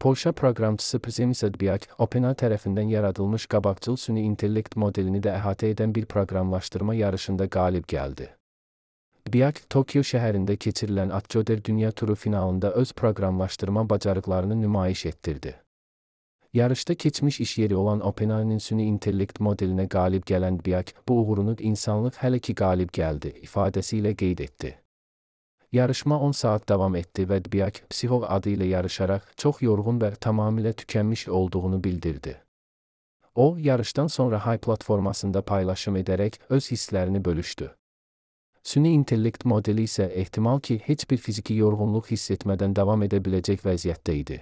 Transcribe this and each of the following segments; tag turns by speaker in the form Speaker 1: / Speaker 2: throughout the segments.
Speaker 1: Polşa proqramçısı Przemysław Biak, OpenAI tərəfindən yaradılmış qabaqcıl süni intellekt modelini də əhatə edən bir proqramlaşdırma yarışında qalib gəldi. Biak, Tokyo şəhərində keçirilən Atgöder Dünya Turu finalında öz proqramlaşdırma bacarıqlarını nümayiş etdirdi. Yarışda keçmiş iş yeri olan OpenAI'nin süni intellekt modelinə qalib gələn Biak, bu uğurunu insanlıq hələ ki qalib gəldi ifadəsi ilə qeyd etdi. Yarışma 10 saat davam etdi və Biak, Psixo adı ilə yarışaraq çox yorğun və tamamilə tükənmiş olduğunu bildirdi. O, yarışdan sonra Hay platformasında paylaşım edərək öz hisslərini bölüşdü. Süni intellekt modeli isə ehtimal ki, heç bir fiziki yorğunluq hiss etmədən davam edə biləcək vəziyyətdə idi.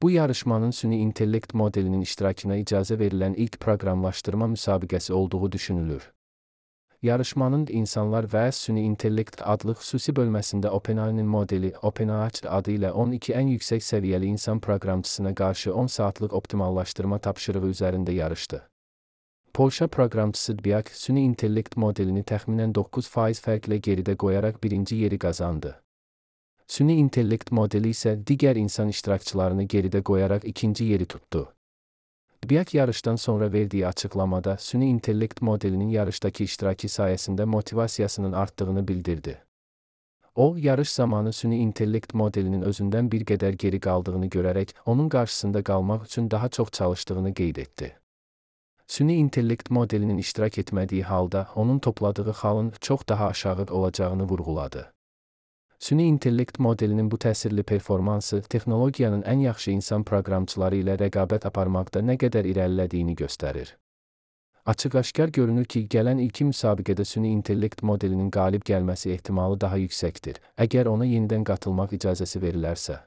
Speaker 1: Bu yarışmanın süni intellekt modelinin iştirakına icazə verilən ilk proqramlaşdırma müsabiqəsi olduğu düşünülür. Yarışmanın insanlar və süni intellekt adlı xüsusi bölməsində OpenAI'nin modeli OpenAI adı ilə 12 ən yüksək səviyyəli insan proqramçısına qarşı 10 saatlıq optimallaşdırma tapşırığı üzərində yarışdı. Polşa proqramçısı Biak, süni intellekt modelini təxminən 9% fərqlə geridə qoyaraq birinci yeri qazandı. Süni intellekt modeli isə digər insan iştirakçılarını geridə qoyaraq ikinci yeri tutdu. Biak yarışdan sonra verdiyi açıqlamada süni intellekt modelinin yarışdakı iştirakı sayəsində motivasiyasının artdığını bildirdi. O, yarış zamanı süni intellekt modelinin özündən bir qədər geri qaldığını görərək, onun qarşısında qalmaq üçün daha çox çalışdığını qeyd etdi. Süni intellekt modelinin iştirak etmədiyi halda, onun topladığı xalın çox daha aşağı olacağını vurğuladı. Süni intellekt modelinin bu təsirli performansı, texnologiyanın ən yaxşı insan proqramçıları ilə rəqabət aparmaqda nə qədər irəlilədiyini göstərir. Açıq-aşkar görünür ki, gələn ilki müsabiqədə süni intellekt modelinin qalib gəlməsi ehtimalı daha yüksəkdir, əgər ona yenidən qatılmaq icazəsi verilərsə.